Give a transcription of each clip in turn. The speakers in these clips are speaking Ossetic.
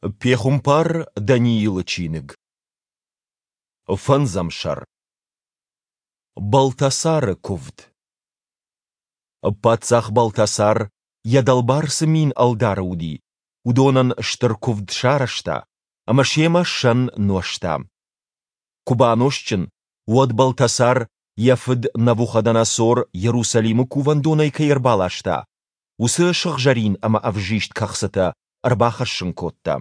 Пехуымпар Даниилы чиныг. Фӕндзӕм сӕр. Балтасары куывд. Паддзах Балтасар, йӕ дӕлбар цы 1000 ӕлдары уыди, уыдонӕн стыр куывд сарӕзта ӕмӕ семӕ сӕн нуӕзта. Куы банозтджын, уӕд Балтасар, йӕ фыд Навуходоносор Иерусалимы кувӕндонӕй кӕй ӕрбаласта, уыцы сыгъзӕрин ӕмӕ ӕвзист кӕхцытӕ ӕрбахӕссын кодта.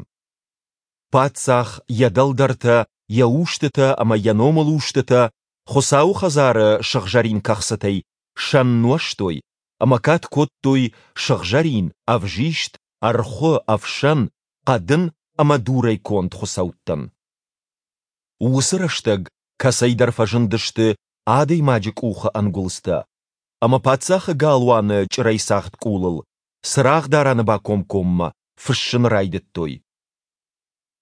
Паддзах, йӕ дӕлдӕртӕ, йӕ устытӕ ӕмӕ йӕ номылустытӕ Хуыцауы хӕдзары сыгъзӕрин кӕхцытӕй сӕн нуӕзтой ӕмӕ кад кодтой сыгъзӕрин, ӕвзист, ӕрхуы, ӕфсӕн, хъӕдын ӕмӕ дурӕй конд хуыцӕуттӕн. Уыцы рӕстӕг кӕцӕйдӕр фӕзындысты адӕймаджы къухы ӕнгуылдзтӕ, ӕмӕ паддзахы галуаны чъырӕйцагъд къулыл, цырагъдарӕны бакомкоммӕ, фыссын райдыдтой.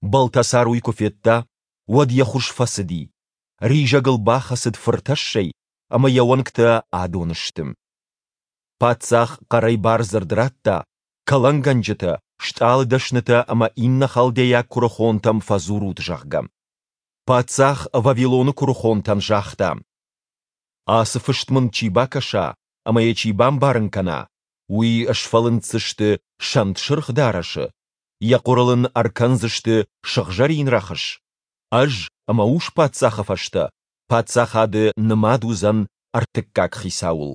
Балтасар уый куы федта, уӕд йӕ хуыз фӕцыди, ризӕг ыл бахӕцыд фыртӕссӕй ӕмӕ йӕ уӕнгтӕ адон сты. Паддзах хъӕрӕй бардзырд радта, кӕлӕнгӕнджытӕ, стъалыдӕснытӕ ӕмӕ иннӕ халдейаг куырыхонтӕм фӕдзурут, зӕгъгӕ. Паддзах Вавилоны куырыхонтӕн загъта: Ацы фыст мын чи бакӕса ӕмӕ йӕ чи бамбарын кӕна, уый сфӕлынддзысты сӕнтсырх дарӕсы, йӕ хъуырыл ын ӕркӕндзысты сыгъзӕрин рӕхыс, ӕз ӕмӕ ус-паддзахы фӕстӕ паддзахады нымад уыдзӕн ӕртыккаг хицауыл.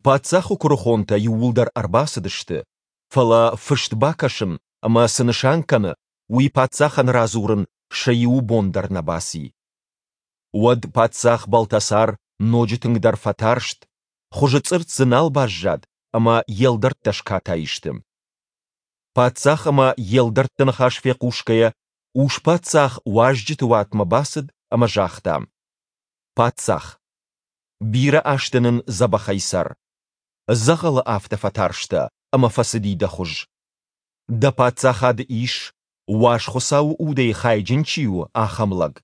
Паддзахы куырыхонтӕ иууылдӕр ӕрбацыдысты, фӕлӕ фыст бакӕсын ӕмӕ цы нысан кӕны, уый паддзахӕн радзурын сӕ иуы бон дӕр нӕ баци. Уӕд паддзах Балтасар ноджы тынгдӕр фӕтарст, хуызы цъыртт дзы нал баззад ӕмӕ йе лдӕрттӕ скатай сты. Паддзах ӕмӕ йе лдӕртты ныхас фехъусгӕйӕ, ус-паддзах уазджыты уатмӕ бацыд ӕмӕ загъта: Паддзах! Бирӕ азты нын дзӕбӕхӕй цӕр. Дзӕгъӕлы афтӕ фӕтарстӕ ӕмӕ фӕцыди дӕ хуыз. Дӕ паддзахады ис, уаз Хуыцауы удӕй хайджын чи у, ахӕм лӕг.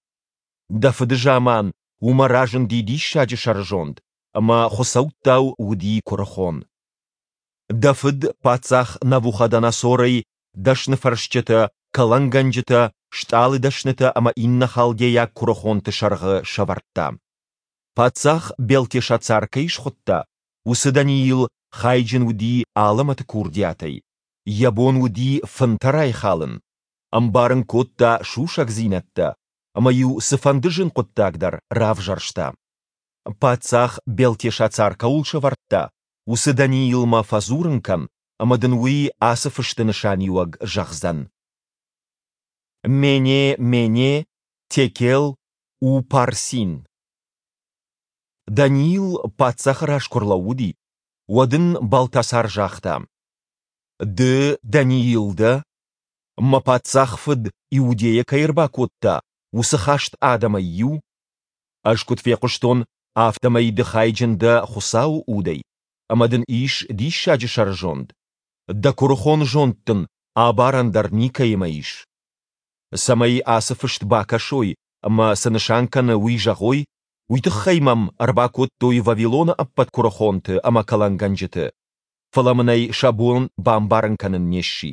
Дӕ фыды заман уымӕ разынди диссаджы сӕрызонд, ӕмӕ хуыцӕуттау уыди куырыхон. Дӕ фыд паддзах Навуходоносорӕй дӕсныфӕрсджытӕ, кӕлӕнгӕнджытӕ, стъалыдӕснытӕ ӕмӕ иннӕ халдейаг куырыхонты сӕргъы сӕвӕрдта. Паддзах Белтешацар кӕй схуыдта, уыцы Даниил хайджын уыди алӕмӕты курдиатӕй, йӕ бон уыди фынтӕ райхалын, ӕмбарын кодта сусӕгдзинӕдтӕ ӕмӕ-иу цыфӕнды зын хъуыддаг дӕр равзӕрста. Паддзах Белтешацар кӕуыл сӕвӕрдта, уыцы Даниилмӕ фӕдзурын кӕн, ӕмӕ дын уый ацы фысты нысаниуӕг зӕгъдзӕн. Мене, мене, текел, упарсин. Даниил паддзахы раз куы рлӕууыди, уӕд ын Балтасар загъта: Ды Даниил дӕ? Мӕ паддзах фыд Иудейӕ кӕй ӕрбакодта, уыцы хаст адӕмӕй иу? Ӕз куыд фехъуыстон, афтӕмӕй ды хайджын дӕ Хуыцауы удӕй, ӕмӕ дын ис диссаджы сӕрызонд. Дӕ куырыхон зонд дын абарӕн дӕр никӕимӕ ис. Цӕмӕй ацы фыст бакӕсой ӕмӕ цы нысан кӕны, уый зӕгъой, уый тыххӕй мӕм ӕрбакодтой Вавилоны ӕппӕт куырыхонты ӕмӕ кӕлӕнгӕнджыты, фӕлӕ мын ӕй сӕ бон бамбарын кӕнын не сси.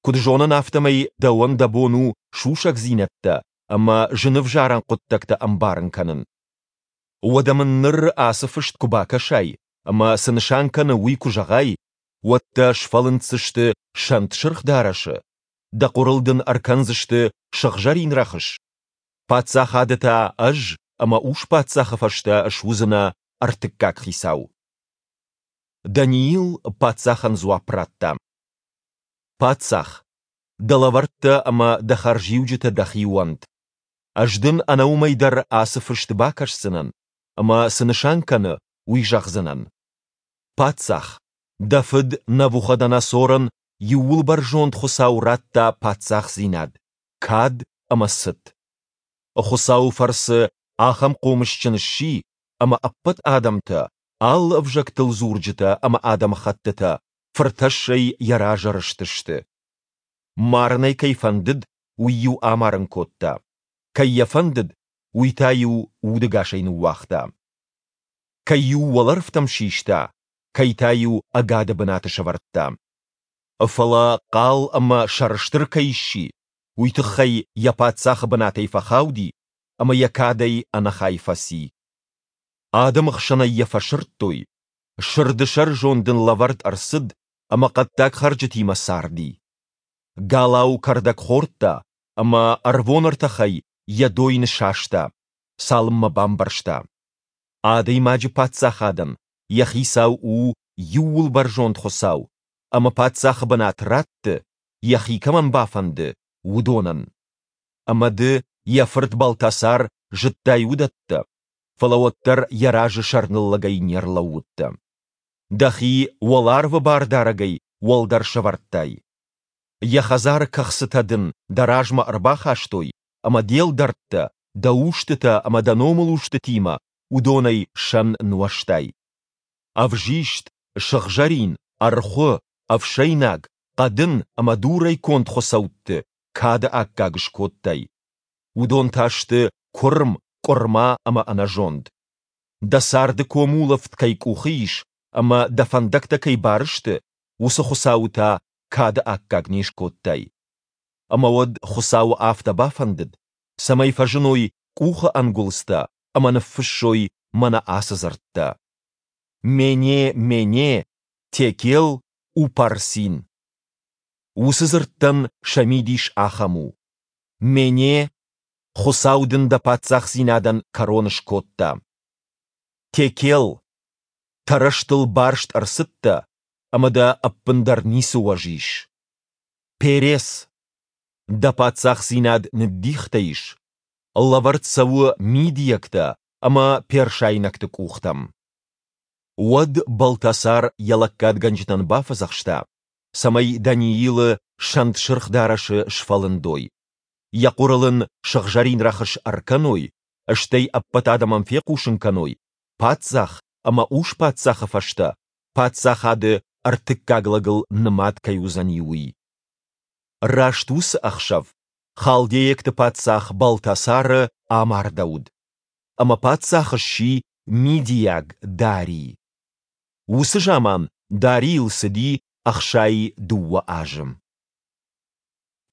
Куыд зонын, афтӕмӕй дӕуӕн дӕ бон у сусӕгдзинӕдтӕ ӕмӕ зынӕвзарӕн хъуыддӕгтӕ ӕмбарын кӕнын. Уӕдӕ мын ныр ацы фыст куы бакӕсай ӕмӕ цы нысан кӕны, уый куы зӕгъай, уӕд дӕ сфӕлынддзысты сӕнт сырх дарӕсы, дӕ хъуырыл дын ӕркӕндзысты сыгъзӕрин рӕхыс, паддзахады та ӕз ӕмӕ ус-паддзахы фӕстӕ суыдзынӕ ӕртыккаг хицау. Даниил паддзахӕн дзуапп радта: Паддзах, дӕ лӕвӕрттӕ ӕмӕ дӕ хӕрзиуджытӕ дӕхи уӕнт. Ӕз дын ӕнӕуымӕй дӕр ацы фыст бакӕсдзынӕн, ӕмӕ цы нысан кӕны, уый зӕгъдзынӕн. Паддзах, дӕ фыд Навуходоносорӕн Иууылбӕрзонд Хуыцау радта паддзахдзинад, кад ӕмӕ цыт. Хуыцауы фӕрцы ахӕм хъомысджын сси, ӕмӕ ӕппӕт адӕмтӕ, алы ӕвзӕгтыл дзурджытӕ ӕмӕ адӕмыхӕттытӕ фыртӕссӕй йӕ разы рызтысты. Марын ӕй кӕй фӕндыд, уый-иу амарын кодта, кӕй йӕ фӕндыд, уый та-иу удӕгасӕй ныууагъта. Кӕй-иу уӕлӕрвтӕм систа, кӕй та-иу ӕгады бынаты сӕвӕрдта. Фӕлӕ хъал ӕмӕ сӕрыстыр кӕй сси, уый тыххӕй йӕ паддзахы бынатӕй фӕхауди ӕмӕ йӕ кадӕй ӕнӕхай фӕци. Адӕмы хсӕнӕй йӕ фӕсырдтой, сырды сӕрызонд ын лӕвӕрд ӕрцыд ӕмӕ хъӕддаг хӕрджытимӕ царди. Галау кӕрдӕг хордта ӕмӕ ӕрвон ӕртӕхӕй йӕ дойны саста, цалынмӕ бамбӕрста, адӕймаджы паддзахадӕн йӕ хицау у Иууылбӕрзонд Хуыцау ӕмӕ паддзахы бынат ратты, йӕхи кӕмӕн бафӕнды, уыдонӕн. Ӕмӕ ды, йӕ фырт Балтасар, зыдтай уыдӕттӕ, фӕлӕ уӕддӕр йӕ разы сӕрныллӕгӕй не рлӕууыдтӕ. Дӕхи уӕларвы Бардарӕгӕй уӕлдӕр сӕвӕрдтай. Йӕ хӕдзары кӕхцытӕ дын дӕ размӕ ӕрбахастой, ӕмӕ де лдӕрттӕ, дӕ устытӕ ӕмӕ дӕ номылустытимӕ уыдонӕй сӕн нуӕзтай. Ӕвзист, сыгъзӕрин, ӕрхуы, ӕфсӕйнаг, хъӕдын ӕмӕ дурӕй конд хуыцӕутты кады аккаг скодтай. Уыдон та сты куырм, къуырма ӕмӕ ӕнӕзонд. Дӕ царды комулӕфт кӕй къухы ис ӕмӕ дӕ фӕндӕгтӕ кӕй бар сты, уыцы Хуыцауы та кады аккаг не скодтай. Ӕмӕ уӕд Хуыцауы афтӕ бафӕндыд, цӕмӕй фӕзыной къухы ӕнгуылдзтӕ ӕмӕ ныффыссой мӕнӕ ацы дзырдтӕ: Мене, Мене, Текел, Упарсин. Уыцы дзырдтӕн сӕ мидис ахӕм у: Мене, Хуыцау дын дӕ паддзахдзинадӕн кӕрон скодта. Текел, тӕрӕзтыл барст ӕрцыдтӕ, ӕмӕ дӕ ӕппындӕр ницы уӕз ис. Перес, дӕ паддзахдзинад ныддихтӕ ис, лӕвӕрд цӕуы мидийӕгтӕ ӕмӕ персайнӕгты къухтӕм. Уӕд Балтасар йӕ лӕггадгӕнджытӕн бафӕдзӕхста, цӕмӕй Даниилы сӕнт сырх дарӕсы сфӕлындой, йӕ хъуырыл ын сыгъзӕрин рӕхыс ӕркӕной, стӕй ӕппӕт адӕмӕн фехъусын кӕной, паддзах ӕмӕ ус-паддзахы фӕстӕ паддзахады ӕртыккаг лӕгыл нымад кӕй уыдзӕни, уый. Раст уыцы ӕхсӕв халдейӕгты паддзах Балтасары амардӕуыд, ӕмӕ паддзах сси мидийаг Дарий. Уыцы заман Дарийыл цыди 62 азы.